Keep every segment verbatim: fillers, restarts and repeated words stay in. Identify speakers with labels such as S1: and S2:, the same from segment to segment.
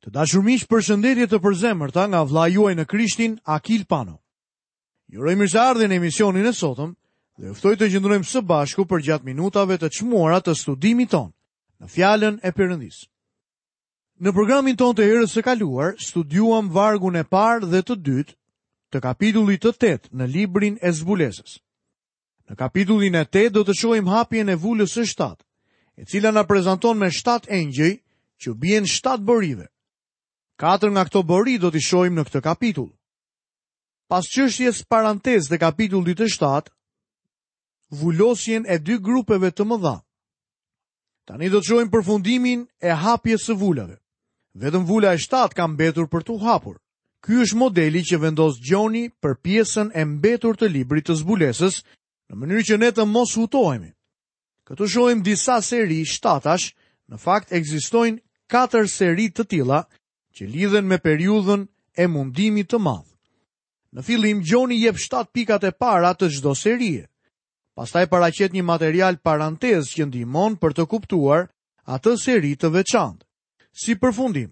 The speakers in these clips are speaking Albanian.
S1: Të dashur miq, përshëndetje të përzemërta nga vëllai juaj në Krishtin, Akil Pano. Ju uroj mirëseardhjen në emisionin e sotëm dhe ju ftoj të qëndrojmë së bashku përgjatë minutave të çmuara të studimit tonë në fjalën e Perëndisë. Në programin tonë të herës së kaluar studiuam vargun e parë dhe të dytë të kapitullit të tetë në librin e Zbulesës. Në kapitullin e tetë do të shohim hapjen e vulës së shtatë, e cila na prezanton me shtatë engjëj që bien shtatë borive. Katër nga këto bori do t'i shohim në këtë kapitull. Pas çështjes parantezë të kapitullit të shtatë, vulosjen e dy grupeve të mëdha. Tani do të shohim përfundimin e hapjes së vulave. Vetëm vula e shtatë ka mbetur për t'u hapur. Ky është modeli që vendos Gjoni për pjesën e mbetur të librit të zbulesës, në mënyrë që ne të mos hutohemi. Këtu shohim disa seri shtatash, në fakt ekzistojnë katër seri të tilla që lidhen me periudhën e mundimit të madh. Në fillim Gjoni jep shtatë pikat e para të çdo serie. Pastaj paraqet një material parantez që ndihmon për të kuptuar atë seri të veçantë. Si përfundim,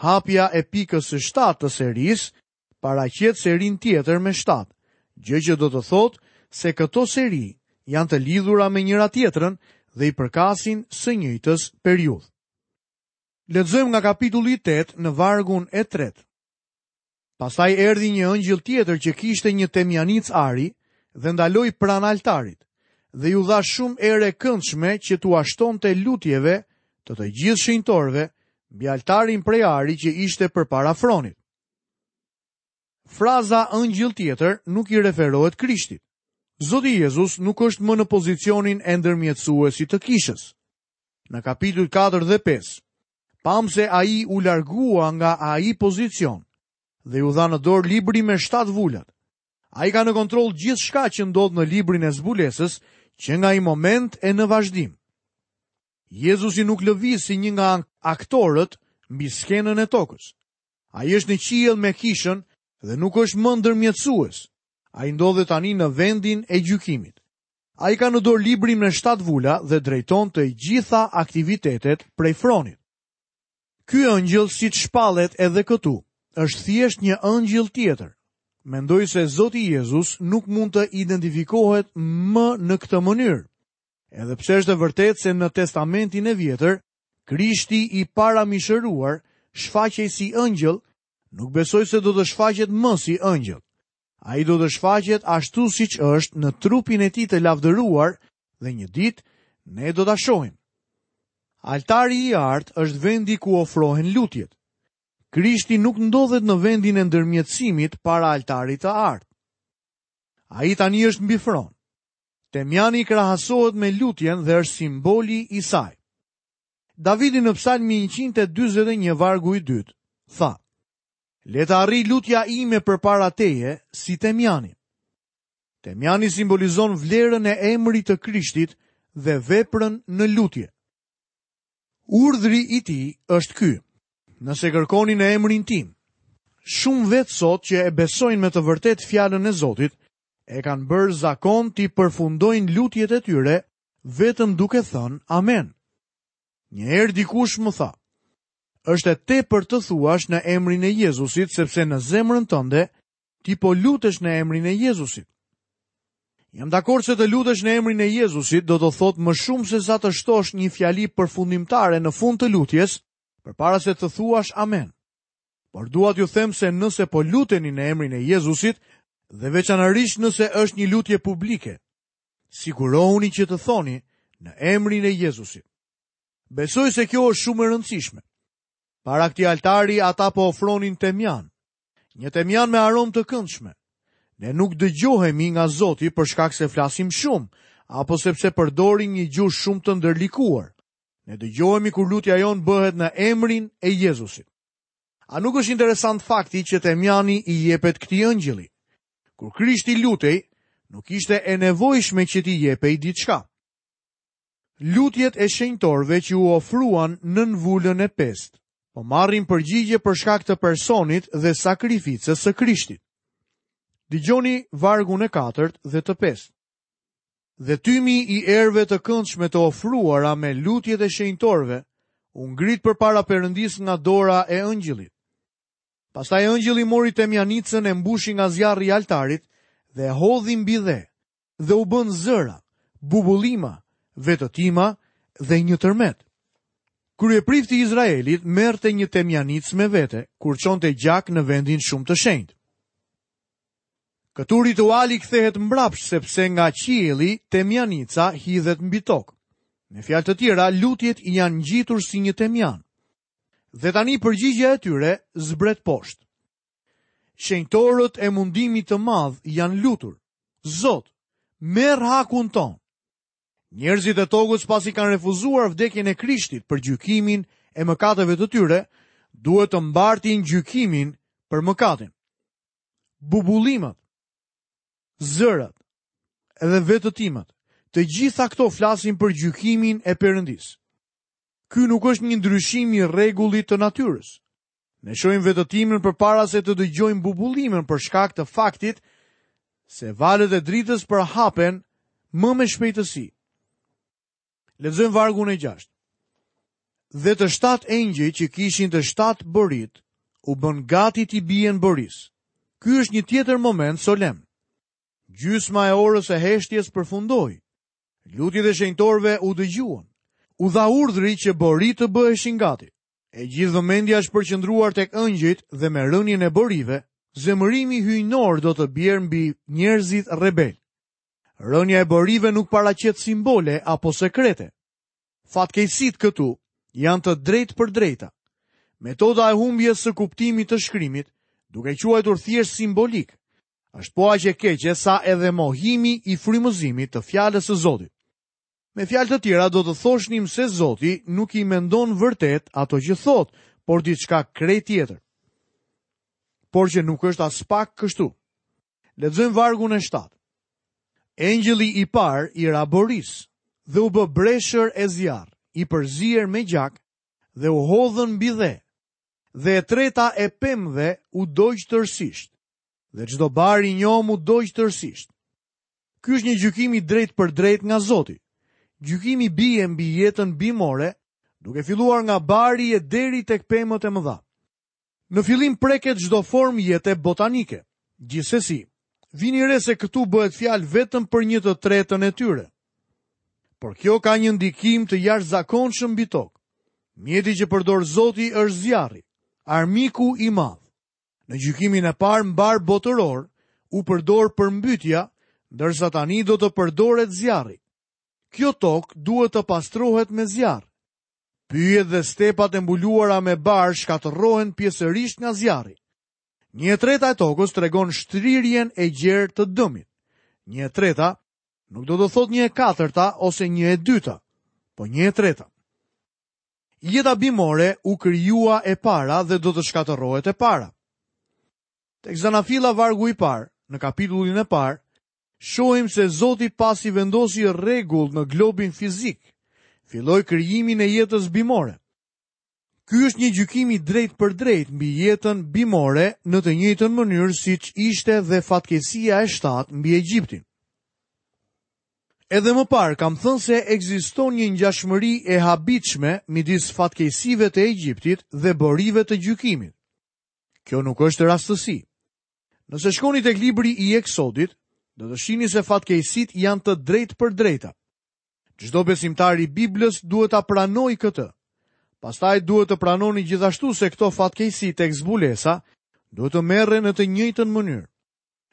S1: hapja e pikës së shtatë të serisë paraqet serinë tjetër me shtatë, gjë që do të thotë se këto seri janë të lidhura me njëra tjetrën dhe i përkasin së njëjtës periudhë. Lexojmë nga kapitulli tetë në vargun e tretë. Pastaj erdhi një ëngjëll tjetër që kishte një temjanicë ari dhe ndaloi pranë altarit dhe ju dha shumë erë e këndshme që t'ua shtonte lutjeve të të gjithë shenjtorëve mbi altarin prej ari që ishte përpara fronit. Fraza ëngjëll tjetër nuk i referohet Krishtit. Zoti Jezus nuk është më në pozicionin e ndërmjetësuesit të kishës. Në kapitulli katër dhe pesë, pam se ai u largua nga ai pozicion dhe ju dha në dorë libri me shtatë vulat. Ai ka në kontroll gjithçka që ndodh në librin e zbulesës, që nga ai moment e në vazhdim. Jezusi nuk lëviz si një nga aktorët mbi skenën e tokës. Ai është në qiell me kishën dhe nuk është më ndërmjetësues. Ai ndodhet tani në vendin e gjykimit. Ai ka në dorë librin me shtatë vula dhe drejton të gjitha aktivitetet prej fronit. Ky ëngjëll, siç shpallet edhe këtu, është thjesht një ëngjëll tjetër. Mendoj se Zoti Jezus nuk mund të identifikohet më në këtë mënyrë. Edhe pse është e vërtetë se në Testamentin e Vjetër, Krishti i paramishëruar shfaqej si ëngjëll, nuk besoj se do të shfaqet më si ëngjëll. Ai do të shfaqet ashtu siç është në trupin e tij të lavdëruar dhe një ditë ne do ta shohim. Altari i artë është vendi ku ofrohen lutjet. Krishti nuk ndodhet në vendin e ndërmjetësimit para altarit të artë. Ai tani është mbi fron. Temjani krahasohet me lutjen dhe është simboli i saj. Davidi në psalmin njëqind e dyzet e një vargu i dytë tha: Le të arri lutja ime përpara teje si temjani. Temjani simbolizon vlerën e emrit të Krishtit dhe veprën në lutje. Urdhri i tij është ky: nëse kërkoni në emrin tim. Shumë vetë sot që e besojnë me të vërtetë fjalën e Zotit, e kanë bërë zakon t'i përfundojnë lutjet e tyre vetëm duke thënë amen. Një herë dikush më tha: është e tepër të thuash në emrin e Jezusit, sepse në zemrën tënde ti po lutesh në emrin e Jezusit. Jam dakord se të lutesh në emrin e Jezusit do të thotë më shumë se sa të shtosh një fjali përfundimtare në fund të lutjes, përpara se të thuash amen. Por dua t'ju them se nëse po luteni në emrin e Jezusit, dhe veçanërisht nëse është një lutje publike, sigurohuni që të thoni në emrin e Jezusit. Besoj se kjo është shumë e rëndësishme. Para këtij altari ata po ofronin temjan, një temjan me aromë të këndshme. Ne nuk dëgjohemi nga Zoti për shkak se flasim shumë, apo sepse përdorim një gjuhë shumë të ndërlikuar. Ne dëgjohemi kur lutja jonë bëhet në emrin e Jezusit. A nuk është interesant fakti që temjani i jepet këtij ëngjëlli? Kur Krishti lutej, nuk ishte e nevojshme që t'i jepej diçka. Lutjet e shenjtorëve që u ofruan nën vulën e pestë, po marrin përgjigje për shkak të personit dhe sakrificës së Krishtit. Dëgjoni vargun e katërt dhe të pestë. Dhe tymi i erëve të këndshme të ofruara me lutjet e shenjtorëve u ngrit përpara Perëndisë nga dora e engjëllit. Pastaj engjëlli mori temjanicën e mbushi nga zjarri i altarit dhe e hodhi mbi dhe, dhe u bën zëra, bubullima, vetëtima dhe një tërmet. Kryeprifti i Izraelit merrte një temjanicë me vete kur çonte gjak në vendin shumë të shenjtë. Këtu rituali kthehet mbrapsht sepse nga qielli temjanica hidhet mbi tokë. Me fjalë të tjera, lutjet i janë ngjitur si një temjan. Dhe tani përgjigjja e tyre zbret poshtë. Shenjtorët e mundimit të madh janë lutur. Zot, merr hakun ton. Njerëzit e tokës pasi kanë refuzuar vdekjen e Krishtit për gjykimin e mëkateve të tyre, duhet të mbartin gjykimin për mëkatin. Bubullimat, zërat edhe vetëtimat, të gjitha këto flasin për gjykimin e Perëndisë. Ky nuk është një ndryshim i rregullit të natyrës. Ne shohim vetëtimën përpara se të dëgjojmë bubullimën për shkak të faktit se valët e dritës përhapen më me shpejtësi. Lexojmë vargun e gjashtë. Dhe të shtatë engjëj që kishin të shtatë borit, u bën gati t'i bien borisë. Ky është një tjetër moment solemn. Gjysma e orës së heshtjes përfundoi. Lutjet e shenjtorëve u dëgjuan. U dha urdhri që borit të bëheshin gati. E gjithë vëmendja është përqendruar tek engjëjt dhe me rënien e borive, zemërimi hyjnor do të bjerë mbi njerëzit rebel. Rënia e borive nuk paraqet simbole apo sekrete. Fatkeqësitë këtu janë të drejtë për drejta. Metoda e humbjes së kuptimit të shkrimit, duke quajtur thjesht simbolik, është po aq e keqe sa edhe mohimi i frymëzimit të fjalës së Zotit. Me fjalë të tjera do të thoshnim se Zoti nuk i mendon vërtet ato që thot, por diçka krejt tjetër. Por që nuk është as pak kështu. Lexojmë vargun e shtatë. Engjëlli i parë i ra borisë dhe u bë breshër e zjarr, i përzier me gjak dhe u hodhën mbi dhe. Dhe e treta e pemëve u dogj tërësisht, dhe çdo bar i njomë u dogj tërësisht. Ky është një gjykim i drejt për drejt nga Zoti. Gjykimi bie mbi jetën bimore, duke filluar nga bari e deri tek pemët e mëdha. Në fillim preket çdo formë jete botanike. Gjithsesi, vini re se këtu bëhet fjalë vetëm për një të tretën e tyre. Por kjo ka një ndikim të jashtëzakonshëm mbi tokë. Mjeti që përdor Zoti është zjarri, armiku i madh. Në gjykimin e parë mbar botëror u përdor përmbytja, ndërsa tani do të përdoret zjarri. Kjo tokë duhet të pastrohet me zjarr. Pyjet dhe stepat e mbuluara me bar shkatërrohen pjesërisht nga zjarri. Një e treta e tokës tregon shtrirjen e gjerë të dëmit. Një e treta nuk do të thotë një e katërta ose një e dyta, po një e treta. Jeta bimore u krijua e para dhe do të shkatërrohet e para. Tek Zanafilla vargu i parë, në kapitullin e parë, shohim se Zoti pasi vendosi rregull në globin fizik, filloi krijimin e jetës bimore. Ky është një gjykim i drejt për drejt mbi jetën bimore në të njëjtën mënyrë siç ishte dhe fatkeqësia e shtatë mbi Egjiptin. Edhe më parë kam thënë se ekziston një ngjashmëri e habitshme midis fatkeqësive të Egjiptit dhe borive të gjykimit. Kjo nuk është rastësi. Nëse shkoni tek libri i Eksodit, do të shihni se fatkeqësitë janë të drejtë për drejta. Çdo besimtar i Biblës duhet ta pranojë këtë. Pastaj duhet të pranoni gjithashtu se këto fatkeqësi tek zbulesa duhet të merren në të njëjtën mënyrë.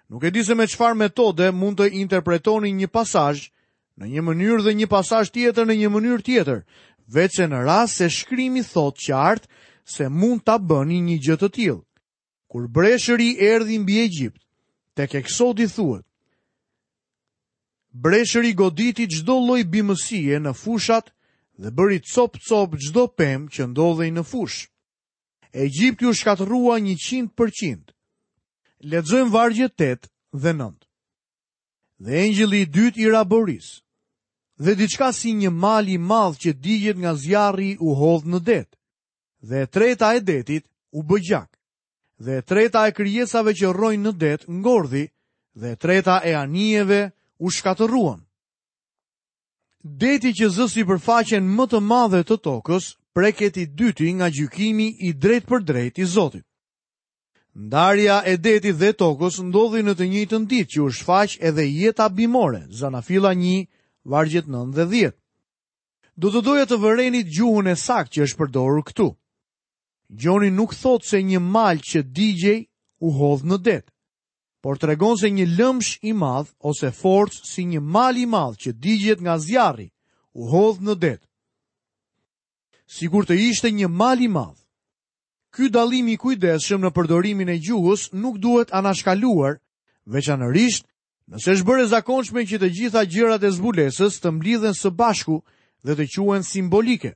S1: Nuk e di se me çfarë metode mund të interpretoni një pasazh në një mënyrë dhe një pasazh tjetër në një mënyrë tjetër, veçse në rast se shkrimi thotë qartë se mund ta bëni një gjë të tillë. Kur breshëri erdhi mbi Egjipt, tek Eksodi thuhet: Breshëri goditi çdo lloj bimësie në fushat dhe bëri cop-cop çdo pemë që ndodhej në fushë. Egjipti u shkatërrua njëqind përqind. Lexojmë vargjet tetë dhe nëntë. Dhe engjëlli i dytë i ra borisë, dhe diçka si një mal i madh që digjet nga zjarri u hodh në det. Dhe e treta e detit u bë gjak. Dhe e treta e krijesave që rrojnë në det ngordhi, dhe e treta e anijeve u shkatërruan. Deti që zë sipërfaqen më të madhe të tokës preket i dyti nga gjykimi i drejtpërdrejtë i Zotit. Ndarja e detit dhe tokës ndodhi në të njëjtën ditë që u shfaq edhe jeta bimore, Zanafilla një, vargjet nëntë dhe dhjetë. Do të doja të vërenit gjuhën e saktë që është përdorur këtu. Gjoni nuk thotë se një mal që digjej u hodh në det, por tregon se një lëmsh i madh ose forcë si një mal i madh që digjet nga zjarri u hodh në det. Sigur të ishte një mal i madh. Ky dallim i kujdesshëm në përdorimin e gjuhës nuk duhet anashkaluar, veçanërisht nëse është bërë e zakonshme që të gjitha gjërat e zbulesës të mblidhen së bashku dhe të quhen simbolike.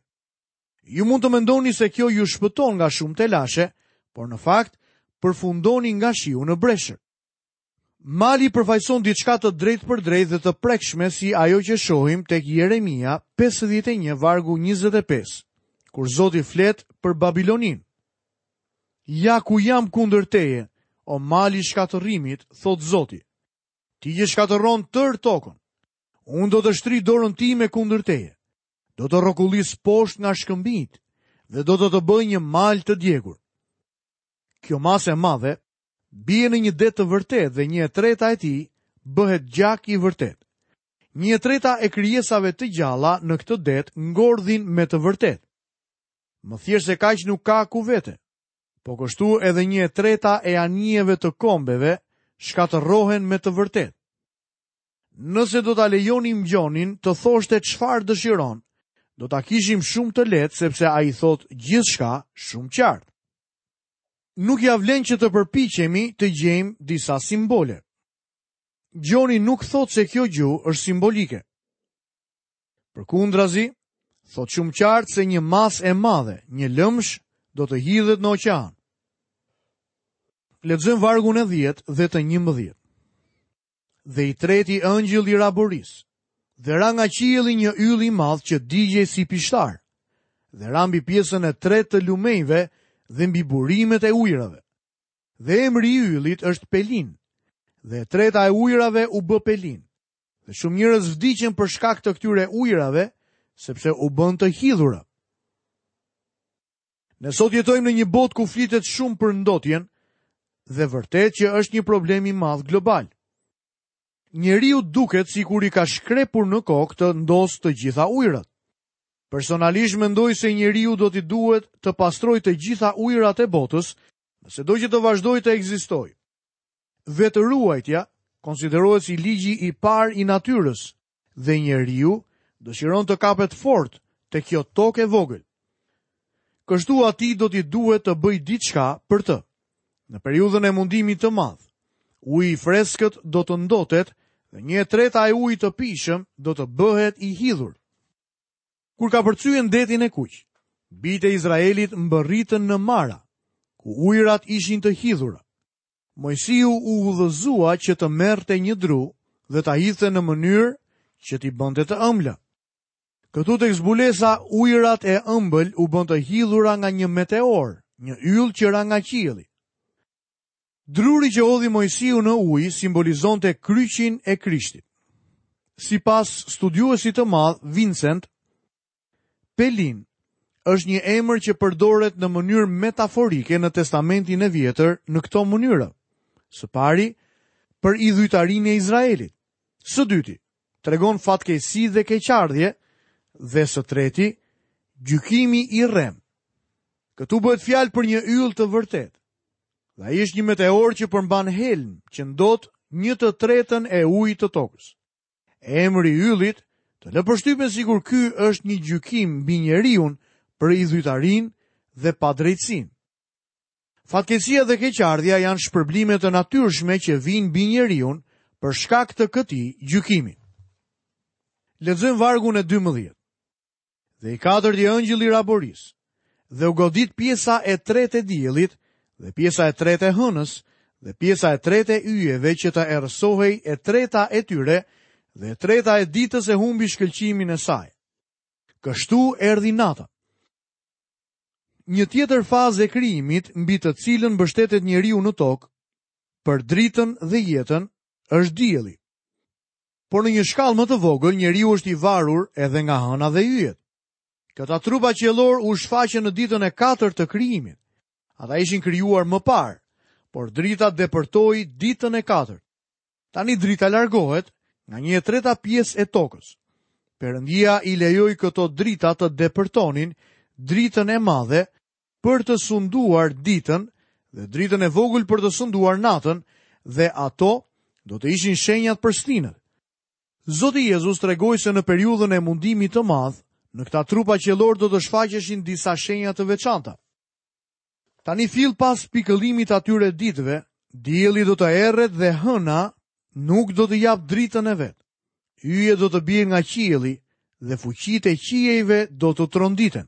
S1: Ju mund të mendoni se kjo ju shpëton nga shumë telashe, por në fakt përfundoni nga shiu në breshër. Mali përfaqëson diçka të drejtpërdrejtë dhe të prekshme si ajo që shohim tek Jeremia pesëdhjetë e një vargu njëzet e pesë, kur Zoti flet për Babilonin. Ja ku jam kundër teje, o mali shkatërrimit, thot Zoti. Ti që shkatërron tërë tokën. Unë do të shtri dorën time kundër teje. Do të rrokullis poshtë nga shkëmbinjt dhe do të të bëj një mal të djegur. Kjo masë e madhe bie në një det të vërtetë dhe një e treta e tij bëhet gjak i vërtetë. Një e treta e krijesave të gjalla në këtë det ngordhin me të vërtetë. Më thjesht se kaq nuk ka ku vete. Po kështu edhe një e treta e anijeve të kombeve shkatërrohen me të vërtetë. Nëse do ta lejonim Gjonin të thoshte çfarë dëshiron, do ta kishim shumë të lehtë sepse ai thot gjithçka shumë qartë. Nuk ja vlen që të përpiqemi të gjejmë disa simbole. Gjoni nuk thot se kjo gjuhë është simbolike. Përkundrazi, thot shumë qartë se një masë e madhe, një lëmsh, do të hidhet në oqean. Lexojmë vargun e dhjetë dhe të njëmbëdhjetë. Dhe i treti ëngjëll i raborisë, dhe ra nga qielli një yll i madh që digjej si pishtar, dhe ra mbi pjesën e tretë të lumenjve dhe mbi burimet e ujërave. Dhe emri i yllit është Pelin, dhe e treta e ujërave u bë Pelin. Dhe shumë njerëz vdiqën për shkak të këtyre ujërave, sepse u bën të hidhura. Ne sot jetojmë në një botë ku flitet shumë për ndotjen, dhe vërtet që është një problem i madh global. Njeriu duket sikur i ka shkrepur në kokë të ndos të gjitha ujërat. Personalisht mendoj se njeriu do t'i duhet të pastrojë të gjitha ujërat e botës, nëse do që të vazhdojë të ekzistojë. Vetëruajtja konsiderohet si ligji i parë i natyrës dhe njeriu dëshiron të kapet fort te kjo tokë e vogël. Kështu atij do t'i duhet të bëjë diçka për të. Në periudhën e mundimit të madh, uji i freskët do të ndotet dhe një e treta e ujit të pijshëm do të bëhet i hidhur. Kur ka përcyen detin e kuq, bijtë e Izraelit mbërritën në Mara, ku ujërat ishin të hidhura. Mojsiu u udhëzua që të merrte një dru dhe ta hidhte në mënyrë që t'i bënte të ëmbla. Këtu tek zbulesa ujërat e ëmbël u bën të hidhura nga një meteor, një yll që ra nga qielli. Druri që hodhi Mojsiu në ujë simbolizonte kryqin e Krishtit. Sipas studiuesit të madh Vincent, Pelin është një emër që përdoret në mënyrë metaforike në Testamentin e Vjetër në këto mënyra. Së pari, për idhujtarinë e Izraelit. Së dyti, tregon fatkeqësi dhe keqardhje, dhe së treti, gjykimi i rrem. Këtu bëhet fjalë për një yll të vërtetë. Dhe ai është një meteor që përmban helm, që ndot një të tretën e ujit të tokës. Emri i yllit të lë përshtypjen sikur ky është një gjykim mbi njeriun për idhujtarinë dhe padrejtësinë. Fatkeqësia dhe keqardhja janë shpërblime të natyrshme që vijnë mbi njeriun për shkak të këtij gjykimi. Lexojmë vargun e dymbëdhjetë. Dhe i katërti ëngjëll i raborisë, dhe u godit pjesa e tretë e diellit, dhe pjesa e tretë e hënës, dhe pjesa e tretë e yjeve që të errësohej e treta e tyre, dhe e treta e ditës e humbi shkëlqimin e saj. Kështu erdhi nata. Një tjetër fazë e krijimit mbi të cilën mbështetet njeriu në tokë, për dritën dhe jetën, është dielli. Por në një shkallë më të vogël, njeriu është i varur edhe nga hëna dhe yjet. Këta trupa qiellor u shfaqën në ditën e katërt të krijimit. Ata ishin krijuar më parë, por drita depërtoi ditën e katërt. Tani drita largohet nga një e treta pjesë e tokës. Perëndia i lejoi këto drita të depërtonin dritën e madhe për të sunduar ditën dhe dritën e vogël për të sunduar natën, dhe ato do të ishin shenjat për stinët. Zoti Jezus tregoi se në periudhën e mundimit të madh, në këta trupa qiellor do të shfaqeshin disa shenja të veçanta. Tani fill pas pikëllimit atyre ditëve, dielli do të erret dhe hëna nuk do të japë dritën e vet. Yjet do të bien nga qielli dhe fuqitë e qiejve do të tronditen.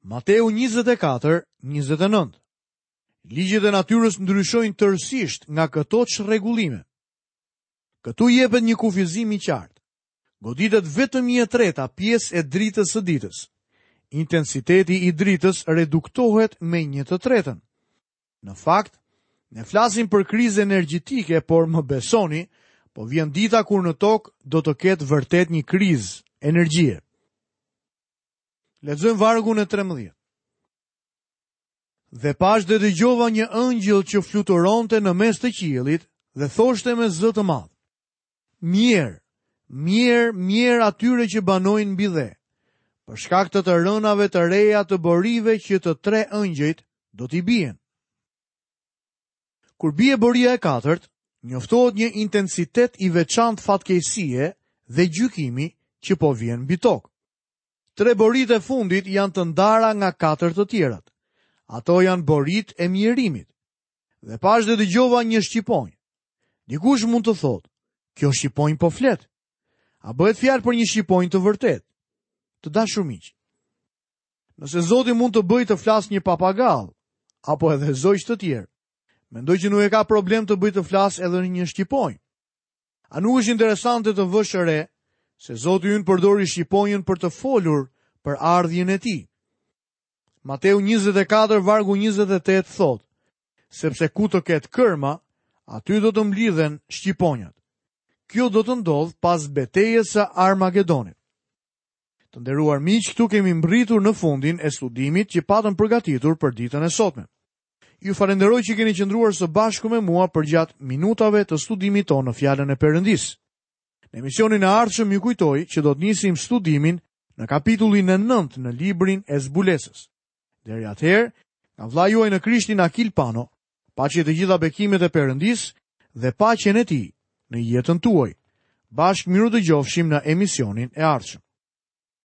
S1: Mateu njëzet e katër, njëzet e nëntë. Ligjet e natyrës ndryshojnë tërësisht nga këto çrregullime. Këtu jepet një kufizim i qartë. Goditet vetëm një e treta pjesë e dritës së ditës. Intensiteti i dritës reduktohet me një të tretën. Në fakt, ne flasim për krizë energjetike, por më besoni, po vjen dita kur në tokë do të ketë vërtet një krizë energjie. Lexojmë vargun e trembëdhjetë. Dhe pash dhe dëgjova një ëngjëll që fluturonte në mes të qiellit dhe thoshte me zë të madh: Mjerë, mjerë, mjerë atyre që banojnë mbi dhe, për shkak të të rënave të reja të borive që të tre ëngjëjt do t'i bien. Kur bie boria e katërt, njoftohet një intensitet i veçantë fatkeqësie dhe gjykimi që po vjen mbi tokë. Tre boritë e fundit janë të ndara nga katër të tjerat. Ato janë boritë e mjerimit. Dhe pash dhe dëgjova një shqiponjë. Dikush mund të thotë, kjo shqiponjë po flet. A bëhet fjalë për një shqiponjë të vërtetë? Të dashur miq, nëse Zoti mund të bëjë të flasë një papagall, apo edhe zogj të tjerë, mendoj që nuk e ka problem të bëjë të flasë edhe një shqiponjë. A nuk është interesante të vësh re se Zoti ynë përdori shqiponjën për të folur për ardhjen e tij? Mateu njëzet e katër vargu njëzet e tetë thotë, sepse ku të ketë kërma, aty do të mblidhen shqiponjat. Kjo do të ndodhë pas betejës së Armagedonit. Të nderuar miq, këtu kemi mbërritur në fundin e studimit që patëm përgatitur për ditën e sotme. Ju falenderoj që keni qëndruar së bashku me mua përgjatë minutave të studimit tonë në Fjalën e Perëndisë. Në emisionin e ardhshëm ju kujtoj që do të nisim studimin në kapitullin e nëntë në librin e Zbulesës. Deri atëherë, nga vëllai juaj në Krishtin Akil Pano, paqe të gjitha bekimet e Perëndisë dhe paqen e tij në jetën tuaj. Bashkë miru dëgjofshim në emisionin e ardhshëm.